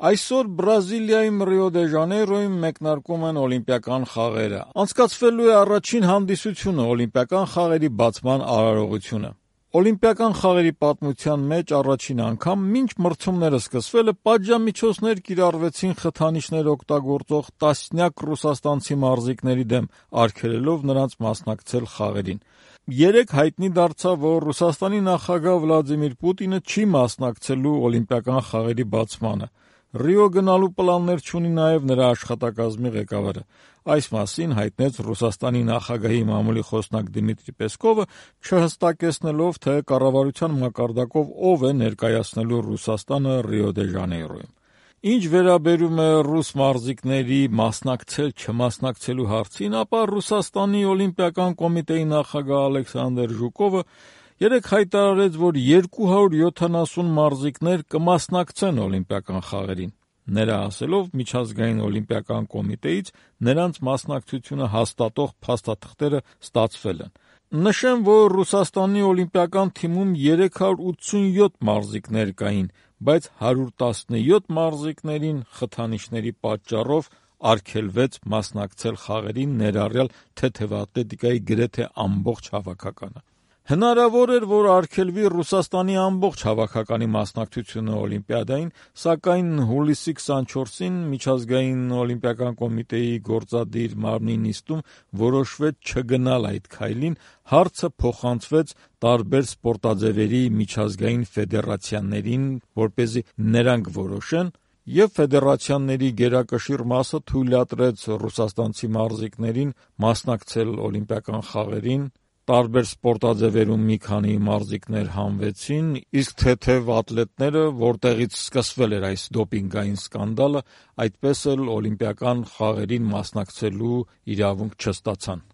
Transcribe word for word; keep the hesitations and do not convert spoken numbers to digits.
Այսօր Բրազիլիայում Ռիո դե Ժանեյրոյում մեկնարկում են օլիմպիական խաղերը։ Անցկացվելու է առաջին հանդիսությունը օլիմպիական խաղերի բացման արարողությունը։ Օլիմպիական խաղերի պատմության մեջ առաջին անգամ մինչ մրցումները սկսվելը պատժամիջոցներ կիրառվեցին խթանիչներ օգտագործող տասնյակ ռուսաստանցի մարզիկների դեմ, արգելելով նրանց մասնակցել խաղերին։ Երեկ հայտնի դարձավ, որ Ռուսաստանի նախագահ Վլադիմիր Պուտինը չի մասնակցելու օլիմպիական խաղերի բացմանը։ Ռիո գնալու պլաններ չունի նաև նրա աշխատակազմի ղեկավարը։ Այս մասին հայտնեց Ռուսաստանի նախագահի մամուլի խոսնակ Դմիտրի Պեսկովը, չհստակեցնելով, թե կառավարության մակարդակով ով է ներկայացնելու Ռուսաստանը Ռիո դե Ժանեյրոյում։ Ինչ վերաբերում է ռուս մարզիկների մասնակցել-չմասնակցելու հարցին, ապա Ռուսաստանի օլիմպիական կոմիտեի նախագահ Ալեքսանդր Ժուկովը երեկ հայտարարեց, որ երկու հարյուր յոթանասուն մարզիկներ կմասնակցեն օլիմպիական խաղերին։ Նրա ասելով, միջազգային օլիմպիական կոմիտեից նրանց մասնակցությունը հաստատող փաստաթղթերը ստացվել են։ Նշեմ, որ Ռուսաստանի օլիմպիական թիմում երեք հարյուր ութսունյոթ մարզիկներ կային, բայց հարյուր տասնյոթ մարզիկներին խթանիչների պատճառով արգելվեց մասնակցել խաղերին, ներառյալ թեթևատլետիկայի գրեթե ամբողջ հավաքականը։ Հնարավոր էր, որ արգելվի Ռուսաստանի ամբողջ հավաքականի մասնակցությունը օլիմպիադային, սակայն հուլիսի քսանչորսին միջազգային օլիմպիական կոմիտեի գործադիր մարմնի նիստում որոշվեց չգնալ այդ քայլին, հարցը փոխանցվեց տարբեր սպորտաձևերի միջազգային ֆեդերացիաներին, որպեսզի նրանք որոշեն, եւ ֆեդերացիաների գերակշիռ մասը թույլատրեց ռուսաստանցի մարզիկներին մասնակցել օլիմպիական խաղերին։ Տարբեր սպորտաձևերում մի քանի մարզիկներ հանվեցին, իսկ թեթև ատլետները, որտեղից սկսվել էր այս դոպինգային սկանդալը, այդպես էլ օլիմպիական խաղերին մասնակցելու իրավունք չստացան։